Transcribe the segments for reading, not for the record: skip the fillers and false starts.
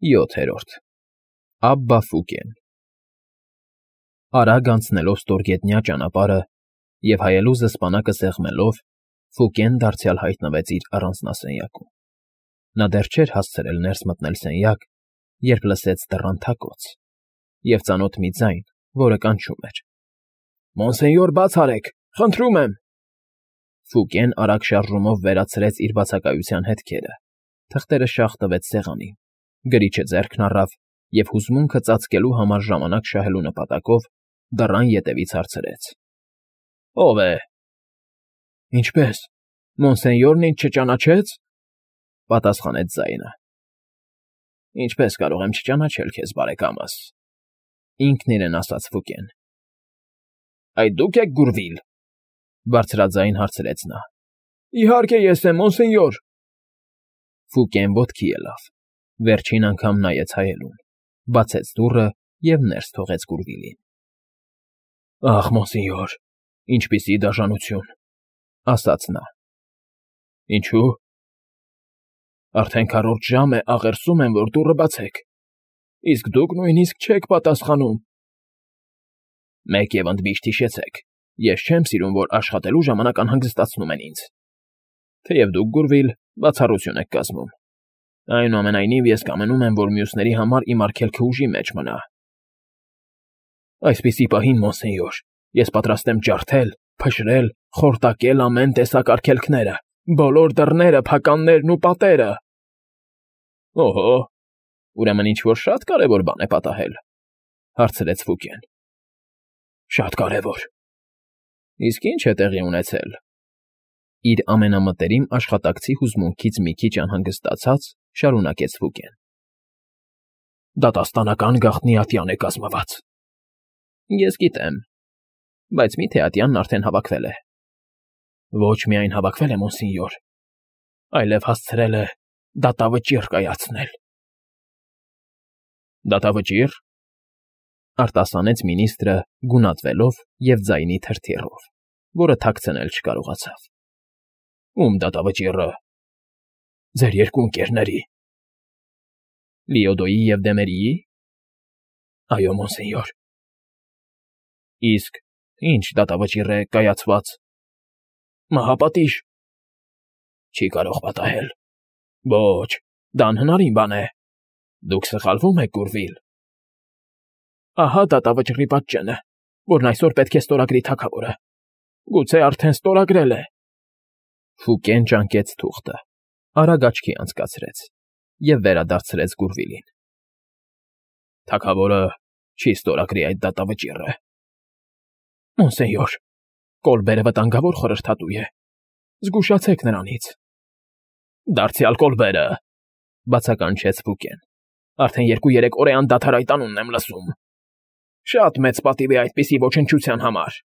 7-րդ Աբբա Ֆուկեն Արագ անցնելով ստորգետնյա ճանապարհը և հայելուզը սպանակը սեղմելով, Ֆուկեն դարձյալ հայտնվեց իր առանձնասենյակում։ Նա դեռ չէր հասցրել ներս մտնել սենյակ, երբ լսեց դռան թակոց և ծանոթ մի ձայն, որը կանչում էր. «Մոնսենյոր, բաց արեք, խնդրում եմ»։ Ֆուկեն արագ շարժումով վերացրեց իր բացակայության հետքերը, թղթերը շաղ տվեց սեղանին, գրիչը ձեռքն առավ և հուզմունքը ծածկելու համար ժամանակ շահելու նպատակով դռան ետևից հարցրեց. «Ո՞վ է»։ «Ինչպե՞ս, Մոնսենյորն ինձ չճանաչեց», պատասխանեց ձայնը։ «Ինչպես կարող եմ չճանաչել քեզ, բարեկամս», ինքն իրեն ասաց Ֆուկեն։ «Այդ դու՞ք եք Գուրվիլ», բարձրաձայն հարցրեց նա։ «Իհարկե ես եմ, մոնսենյոր»։ Ֆուկեն ոտքի ելավ, վերջին անգամ նայեց հայելուն, բացեց դուռը և ներս թողեց Գուրվիլին։ «Ախ, մոնսենյոր, ինչպիսի դաժանություն», ասաց նա։ «Ինչու՞։ Արդեն քառորդ ժամ է աղերսում եմ, որ դուռը բացեք, իսկ դուք նույնիսկ չեք պատասխանում»։ «Մեկ և ընդմիշտ հիշեցեք, ես չեմ սիրում, որ աշխատելու ժամանակ անհանգստացնում են ինձ, թեև դուք, Գուրվիլ, բացառություն եք կազմում։ Այնուամենայնիվ, ես կամենում եմ, որ մյուսների համար իմ արգելքը ուժի մեջ մնա»։ «Այսպիսի պահին, մոնսենյոր, ես պատրաստ եմ ջարդել, փշրել, խորտակել ամեն տեսակ արգելքները, բոլոր դռները, փականներն ու պատերը»։ «Օհո, ուրեմն ինչ֊որ շատ կարևոր բան է պատահել», հարցրեց Ֆուկեն։ «Շատ կարևոր»։ «Իսկ ի՞նչ է տեղի ունեցել»։ Իր ամենամտերիմ աշխատակցի հուզմունքից մի քիչ անհանգստացած շարունակեց Ֆուկեն։ «Դատաստանական գաղտնի ատյան է կազմված»։ «Ես գիտեմ, բայց մի՞թե ատյանն արդեն հավաքվել է»։ «Ոչ միայն հավաքվել է, մոնսենյոր, այլև հասցրել է դատավճիռ կայացնել»։ «Դատավճի՞ռ», արտասանեց մինիստրը գունատվելով և ձայնի թրթիռով, որը թաքցնել չկարողացավ։ «Ում դատավճիռը»։ «Ձեր երկու ընկերների»։ «Լիոդոյի և Դեմերիի»։ «Այո, մոնսենյոր»։ «Իսկ ի՞նչ դատավճիռ է կայացված»։ «Մահապատիժ»։ «Չի կարող պատահել»։ «Ոչ, դա անհնարին բան է։ Դուք սխալվում եք, Գուրվիլ»։ «Ահա դատավճռի պատճենը, որն այսօր պետք է ստորագրի թագավորը։ Գուցե արդեն ստորագրել է»։ Ֆուկեն ճանկեց թուղթը, արագ աչքի անցկացրեց և վերադարձրեց Գուրվիլին։ «Թագավորը չի ստորագրի այդ դատավճիռը»։ «Մոնսենյոր, Կոլբերը վտանգավոր խորհրդատու է, զգուշացեք նրանից»։ «Դարձյալ Կոլբերը», բացականչեց Ֆուկեն։ «Արդեն 2-3 օր է անդադար այդ անունն եմ լսում։ Շատ մեծ պատիվ է այդպիսի ոչնչության համար»։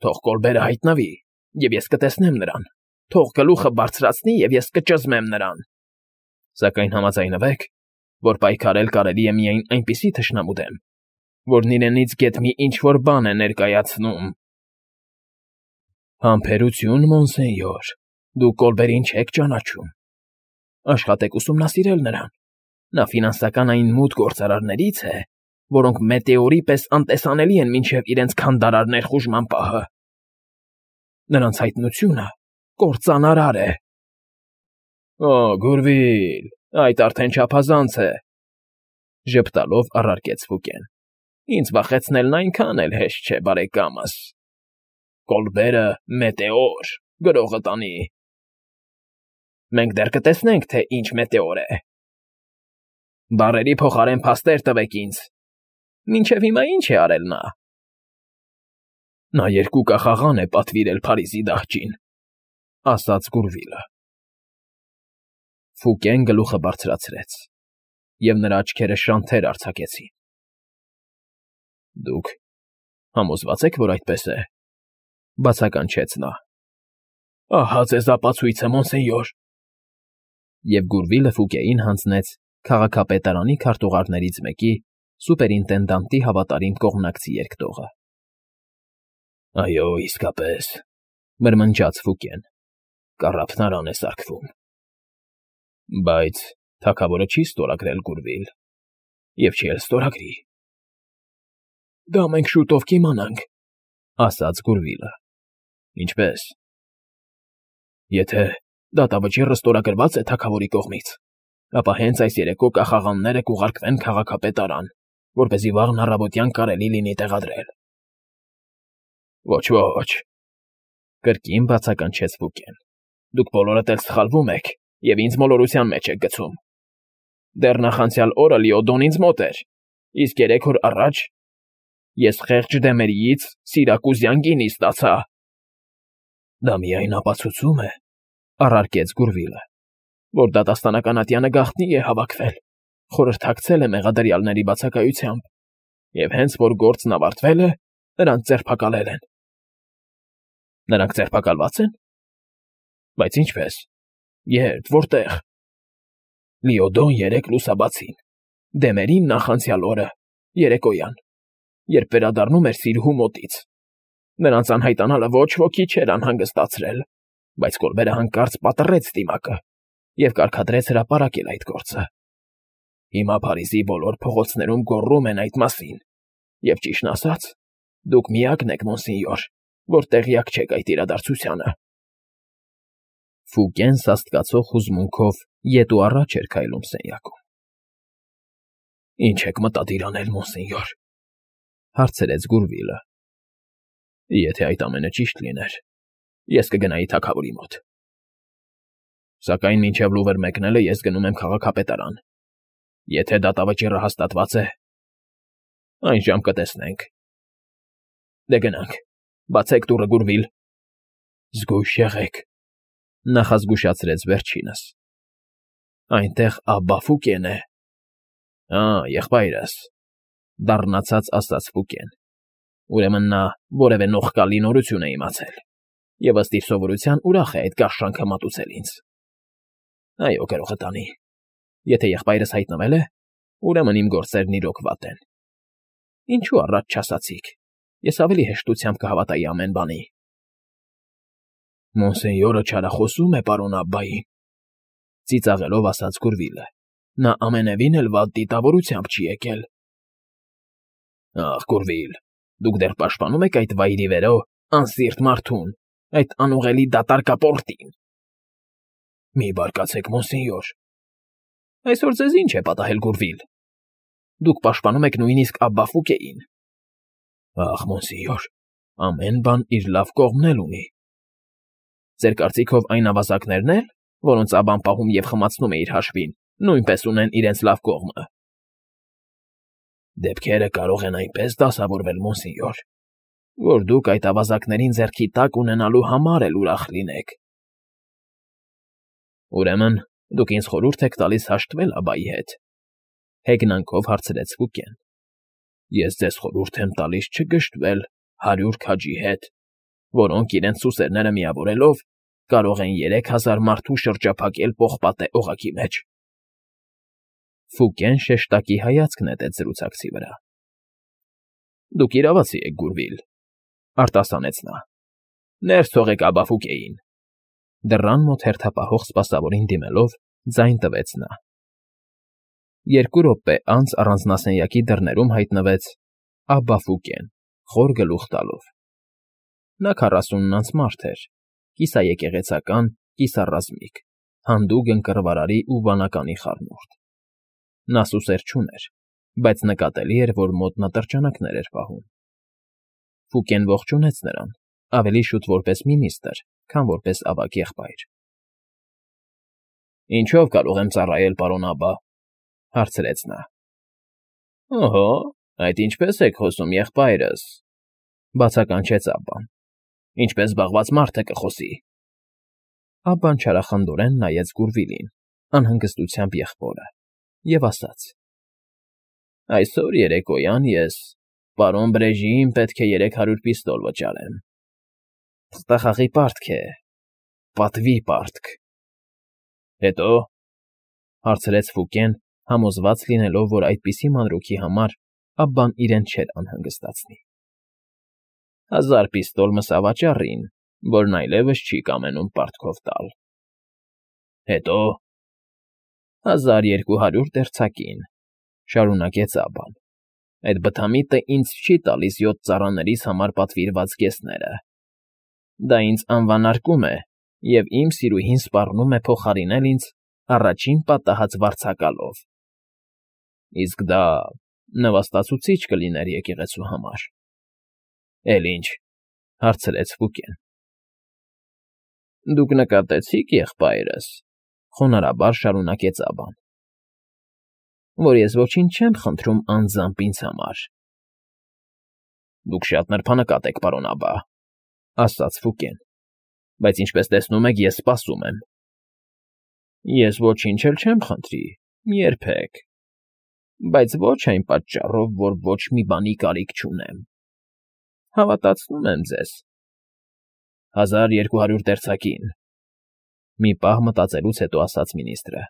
«Թող Կոլբերը հայտնվի, և ես կտեսնեմ նրան, թող գլուխը բարձրացնի, և ես կճզմեմ նրան։ Սակայն համաձայնվեք, որ պայքարել կարելի է միայն այնպիսի թշնամու դեմ, որն իրենից գեթ մի ինչ֊որ բան է ներկայացնում»։ «Համբերություն, մոնսենյոր, դուք Կոլբերին չեք ճանաչում։ Աշխատեք ուսումնասիրել նրան. նա ֆինանսական այն մութ գործարարներից է, որոնք մետեորի պես անտեսանելի են մինչև իրենց քանդարար ներխուժման պահը։ Նրանց հայտնությունը կործանարար է»։ «Օ, Գուրվիլ, այդ արդեն չափազանց է», ժպտալով առարկեց Ֆուկեն։ «Ինձ վախեցնելն այնքան էլ հեշտ չէ, բարեկամս։ Կոլբերը մետեոր գրողը տանի։ Մենք դեռ կտեսնենք, թե ինչ մետեոր է։ Բառերի փոխարեն փաստեր տվեք ինձ։ Մինչև հիմա ի՞նչ է արել նա»։ «Նա 2 կախաղան է պատվիրել Փարիզի դահճին», ասաց Գուրվիլը։ Ֆուկեն գլուխը բարձրացրեց, և նրա աչքերը շանթեր արձակեցին։ «Դուք համոզվա՞ծ եք, որ այդպես է», բացականչեց նա։ «Ահա ձեզ ապացույցը, մոնսենյոր»։ Եվ Գուրվիլը Ֆուկեին հանձնեց քաղաքապետարանի քարտուղարներից մեկի սուպերինտենդանտի հավատարիմ կողմնակցի երկտողը։ «Այո, իսկապես», մրմնջաց Ֆուկեն, «կառափնարան է սարքվում։ Բայց Թագավորը չի ստորագրել Գուրվիլ, և չի էլ ստորագրի։ Դա մենք շուտով կիմանանք, ասաց Գուրվիլը։ Ինչպե՞ս։ Եթե դատավճիռը ստորագրված է թագավորի կողմից, ապա հենց այս երեկո կախաղանները կուղարկվեն քաղաքապետարան, որպեսզի վաղն առավոտյան կարելի լինի տեղադրել։ Ոչ, կրկին բացականչեց Ֆուկեն։ Դուք բոլորդ էլ սխալվում եք և ինձ մոլորության մեջ եք գցում։ Դեռ նախանցյալ օրը Լիոդոն ինձ մոտ էր, իսկ 3 օր առաջ ես խեղճ Դեմերիից Սիրակուզյան գինի ստացա։ Դա միայն ապացուցում է, առարկեց Գուրվիլը, որ դատաստանական ատյանը գաղտնի է հավաքվել, խորհրդակցել է մեղադրյալների բացակայությամբ, և հենց որ գործն ավարտվել է, նրանց ձերբակալել են։ Նրանք ձերբակալվա՞ծ են։ Բայց ինչպես։ Երբ, որտեղ։ Լիոդոն 3 լուսաբացին, Դեմերին նախանցյալ օրը, երեկոյան, երբ վերադառնում էր Սիրհու մոտից։ Նրանց անհայտանալը ոչ ոքի չէր անհանգստացրել, բայց Կոլբերը հանկարծ պատռեց դիմակը և կարգադրեց հրապարակել այդ գործը։ Հիմա Փարիզի բոլոր փողոցներում գոռում են այդ մասին, և ճիշտն ասած, դուք միակն եք, մոնսենյոր, որ տեղյակ չեք այդ իրադարձությանը։ Ֆուկեն սաստկացող հուզմունքով ետ ու առաջ էր քայլում սենյակում։ Ինչ եք մտադիր անել, մոնսենյոր, հարցրեց Գուրվիլը։ Եթե այդ ամենը ճիշտ լիներ, ես կգնայի թագավորի մոտ։ Սակայն մինչև լուվր մեկնելը ես գնում եմ քաղաքապետարան։ Եթե դատավճիռը հաստատված է, այն ժամ կտեսնենք։ Դե գնանք, բացեք դուռը, Գուրվիլ։ Զգույշ եղեք, նախազգուշացրեց վերջինս։ Այնտեղ Աբբա Ֆուկեն է։ Եղբայրս, դառնացած ասաց Ֆուկեն։ Ուրեմն նա որևէ նողկալի նորություն է իմացել, և ըստ իր սովորության ուրախ է այդ գարշանքը մատուցել ինձ։ Այո, գրողը տանի։ Եթե եղբայրս հայտնվել է, ուրեմն իմ գործերն իրոք վատ են։ Ինչու առաջ չասացիք, ես ավելի հեշտությամբ կհավատայի ամեն բանի։ Մոնսենյորը չարախոսում է պարոն Աբբային, ծիծաղելով ասաց Գուրվիլը։ Նա ամենևին էլ վատ դիտավորությամբ չի եկել։ Ախ, Գուրվիլ, դուք դեռ պաշտպանում եք այդ վայրի վերո անսիրտ մարդուն, այդ անուղելի դատարկապորտին։ Մի բարկացեք, մոնսենյոր։ Այսօր ձեզ ինչ է պատահել, Գուրվիլ։ Դուք պաշտպանում եք նույնիսկ Աբբա Ֆուկեին։ Ախ, մոնսենյոր, ամեն բան իր լավ կողմն էլ ունի։ Ձեր կարծիքով այն ավազակներն էլ, որոնց Աբբան պահում և խմացնում է իր հաշվին, նույնպես ունեն իրենց լավ կողմը։ Դեպքերը կարող են այնպես դասավորվել, մոնսենյոր, որ դուք այդ ավազակներին ձեռքի տակ ունենալու համար էլ ուրախ լինեք։ Ուրեմն դուք ինձ խորհուրդ եք տալիս հաշտվել Աբբայի հետ, հեգնանքով հարցրեց Ֆուկեն։ Ես ձեզ խորհուրդ եմ տալիս չգժտվել 100 քաջի հետ, որոնք իրենց սուսերները միավորելով կարող են 3000 մարդու շրջափակել պողպատե օղակի մեջ։ Ֆուկեն շեշտակի հայացք նետեց զրուցակցի վրա։ Դուք իրավացի եք, Գուրվիլ, արտասանեց նա։ Ներս թողեք Աբբա Ֆուկեին։ Դռան մոտ հերթապահող սպասավորին դիմելով ձայն տվեց նա։ 2 րոպե անց առանձնասենյակի դռներում հայտնվեց Աբբա Ֆուկեն, խոր գլուխ տալով։ Նա 40-անց մարդ էր, կիսաեկեղեցական, կիսառազմիկ, հանդուգն կռվարարի ու վանականի խառնուրդ։ Նա սուսեր չուներ, բայց նկատելի էր, որ մոտ նա տրջանակներ էր պահում։ Ֆուկեն ողջունեց նրան, ավելի շուտ որպես մինիստրը, քան որպես ավագ եղբայր։ Ինչո՞վ կարող եմ ծառայել, պարոն Աբբա, հարցրեց նա։ Օհո, այդ ինչպես եք խոսում, եղբայրս, բացականչեց Աբբան։ Ինչպես զբաղված մարդը կխոսի։ Աբբան չարախնդորեն նայեց Գուրվիլին, անհանգստությամբ եղբորը, և ասաց. Այսօր երեկոյան ես պարոն Բրեժիին պետք է 300 պիստոլ վճարեմ։ Թղթախաղի պարտք է, պատվի պարտք։ Հետո, հարցրեց Ֆուկեն, համոզված լինելով, որ այդպիսի մանրուքի համար Աբբան իրեն չէր անհանգստացնի։ 1000 պիստոլ մսավաճառին, որն այլևս չի կամենում պարտքով տալ։ Հետո, 1200 դերձակին, շարունակեց Աբան։ Այդ բթամիտը ինձ չի տալիս 7 ծառաներիս համար պատվիրված գեսները։ Դա ինձ անվանարկում է, և իմ սիրուհին սպառնում է փոխարինել ինձ առաջին պատահած վարձակալով։ Իսկ դա նվաստացուցիչ կլիներ եկեղեցու համար։ Էլ ինչ, հարցրեց Ֆուկեն։ Դուք նկատեցի՞ք, եղբայրս, խոնարհաբար շարունակեց Աբան, որ ես ոչինչ չեմ խնդրում անձամբ ինձ համար։ Դուք շատ նրբանկատ եք, պարոն Աբա, ասաց Ֆուկեն, բայց ինչպես տեսնում եք, ես սպասում եմ։ Ես ոչինչ էլ չեմ խնդրի, երբեք, բայց ոչ այն պատճառով, որ ոչ մի բանի կարիք չունեմ։ Հավատացնում եմ ձեզ։ 1200 դերձակին, մի պահ մտածելուց հետո ասաց մինիստրը։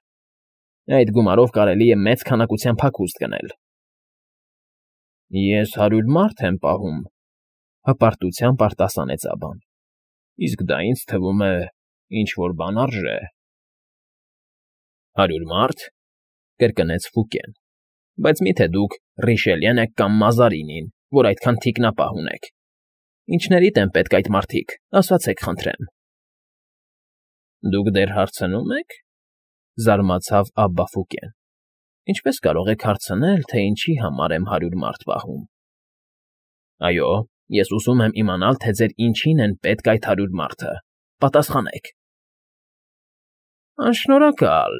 Այդ գումարով կարելի է մեծ քանակության փախուստ գնել։ Ես 100 մարդ եմ պահում, հպարտությամբ արտասանեց Աբան։ Իսկ դա ինձ թվում է ինչ-որ բան արժե։ 100 մարդ, կրկնեց Ֆուկեն, բայց մի՞թե դուք Ռիշելիեն եք կամ Մազարինին, որ այդքան թիկնապահ ունեք։ Ինչներիդ են պետք այդ մարդիկ, ասացեք խնդրեմ։ Դուք դեռ հարցնում եք, զարմացավ Աբբա Ֆուկեն։ Ինչպես կարող եք հարցնել, թե ինչի համար եմ 100 մարդ պահում։ Այո, ես ուզում եմ իմանալ, թե ձեր ինչին են պետք այդ 100 մարդը։ Պատասխանեք։ Անշնորհակալ,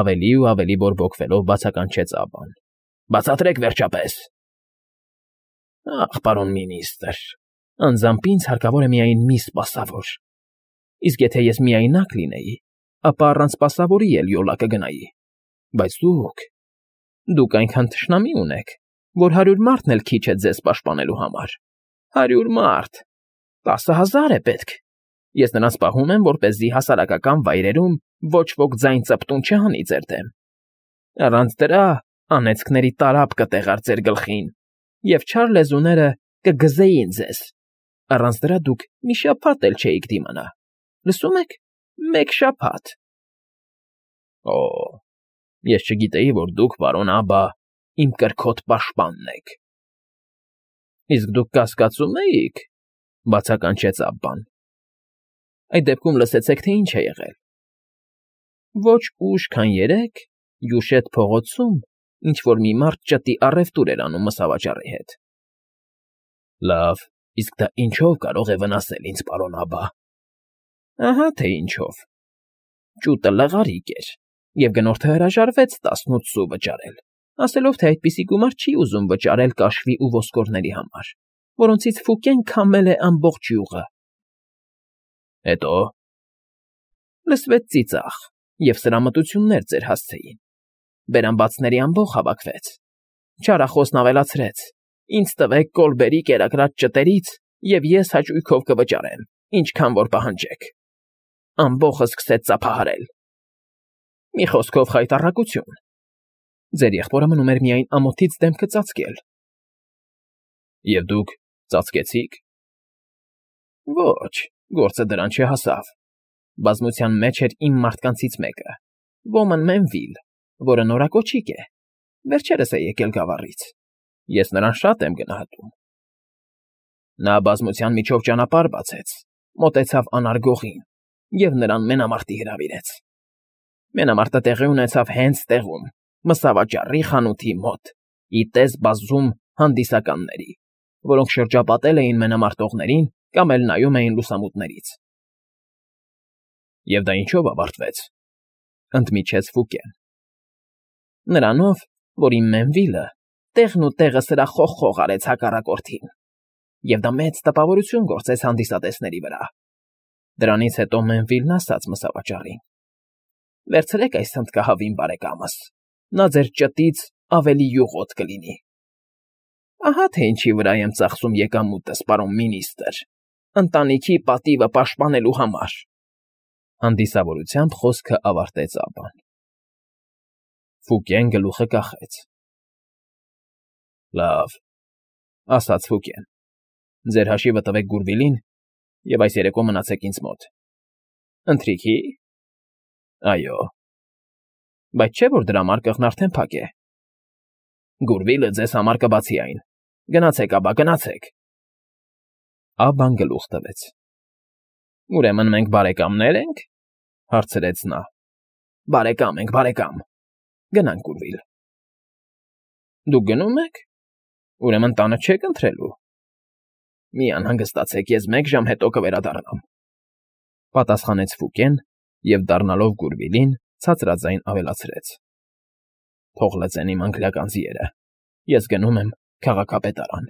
ավելի ու ավելի բորբոքվելով բացականչեց Աբբան։ Բացատրեք վերջապես։ Ախ, պարոն մինիստր, անձամբ ինձ հարկավոր է միայն մի սպասավոր։ Իսկ եթե ես միայնակ լինեի, ապա առանց սպասավորի էլ յոլա կգնայի։ Բայց դուք այնքան թշնամի ունեք, որ 100 մարդն էլ քիչ է ձեզ պաշտպանելու համար։ 100 մարդ, 10,000 է պետք։ Ես նրանց պահում եմ, որպեսզի հասարակական վայրերում ոչ ոք ձայն ծպտուն չհանի ձեր դեմ։ Առանց դրա անեծքների տարափ կտեղար ձեր գլխին, և չար լեզուները կգզեին ձեզ։ Առանց դրա դուք մի շաբաթ էլ չէիք դիմանա։ Լսում եք, մեկ շաբաթ։ Օ, ես չգիտեի, որ դուք, պարոն Աբա, իմ կրքոտ պաշտպանն եք։ Իսկ դուք կասկածում էիք, բացականչեց Աբբան։ Այդ դեպքում լսեցեք, թե ինչ է եղել։ Ոչ ուշ, քան երեկ, Յուշետ փողոցում ինչ-որ մի մարդ ճտի առևտուր էր անում մսավաճառի հետ։ Լավ, իսկ դա ինչով կարող է վնասել ինձ, պարոն Աբա։ Ահա թե ինչով։ Ճուտը լղարիկ էր, և գնորդը հրաժարվեց 18 սու վճարել, ասելով, թե այդպիսի գումար չի ուզում վճարել կաշվի ու ոսկորների համար, որոնցից Ֆուկեն քամել է ամբողջ յուղը։ Հետո լսվեց ծիծաղ, և սրամտություններ ձեր հասցեին։ Բերանբացների ամբոխ հավաքվեց։ Չարախոսն ավելացրեց. Ինձ տվեք Կոլբերի կերակրած ճտերից, և ես հաճույքով կվճարեմ, ինչքան որ պահանջեք։ Ամբոխը սկսեց ծափահարել։ Մի խոսքով խայտառակություն։ Ձեր եղբորը մնում էր միայն ամոթից դեմքը ծածկել։ Եվ դուք ծածկեցիք։ Ոչ, գործը դրան չհասավ։ Բազմության մեջ էր իմ մարդկանցից մեկը, Ոմն Մենվիլ, որը նորակոչիկ է, վերջերս է եկել գավառից։ Ես նրան շատ եմ գնահատում։ Նա բազմության միջով ճանապարհ բացեց, մոտեցավ անարգողին և նրան մենամարտի հրավիրեց։ Մենամարտը տեղի ունեցավ հենց տեղում, մսավաճառի խանութի մոտ, ի տես բազում հանդիսականների, որոնք շրջապատել էին մենամարտողներին կամ էլ նայում էին լուսամուտներից։ Եվ դա ինչով ավարտվեց, ընդմիջեց Ֆուկեն։ Նրանով, որ իմ Մենվիլը տեղն ու տեղը սրա խոխ արեց հակառակորդին, և դա մեծ տպավորություն գործեց հանդիսատեսների վրա։ Դրանից հետո Մենվիլն ասաց մսավաճառին. Վերցրեք այս հնդկահավին բարեկամս, նա ձեր ճտից ավելի յուղոտ կլինի։ Ահա թե ինչի վրա եմ ծախսում եկամուտս, պարոն մինիստր, ընտանիքի պատիվը պաշտպանելու համար։ Հանդիսավորությամբ խոսքը ավարտեց Աբբան։ Ֆուկեն գլուխը կախեց։ Լավ, ասաց Ֆուկեն, ձեր հաշիվը տվեք Գուրվիլին և այս երեկո մնացեք ինձ մոտ։ Ընթրիքի։ Այո։ Բայց չէ՞ որ դրա մարկղն արդեն փակ է։ Գուրվիլը ձեզ համար կբացի այն։ Գնացեք, ապա, գնացեք։ Աբբան գլուխ տվեց։ Ուրեմն մենք բարեկամնե՞ր ենք,֊ հարցրեց նա։ Բարեկամ ենք, բարեկամ։ Գնանք, Գուրվիլ։ Դուք գնո՞ւմ եք։ Ուրեմն տանը չեք ընթրելու։ Մի անհանգստացեք, ես 1 ժամ հետո կվերադառնամ,֊ պատասխանեց Ֆուկեն և, դառնալով Գուրվիլին, ցածրաձայն ավելացրեց. Թող լծեն իմ անգլիական ձիերը։ Ես գնում եմ քաղաքապետարան։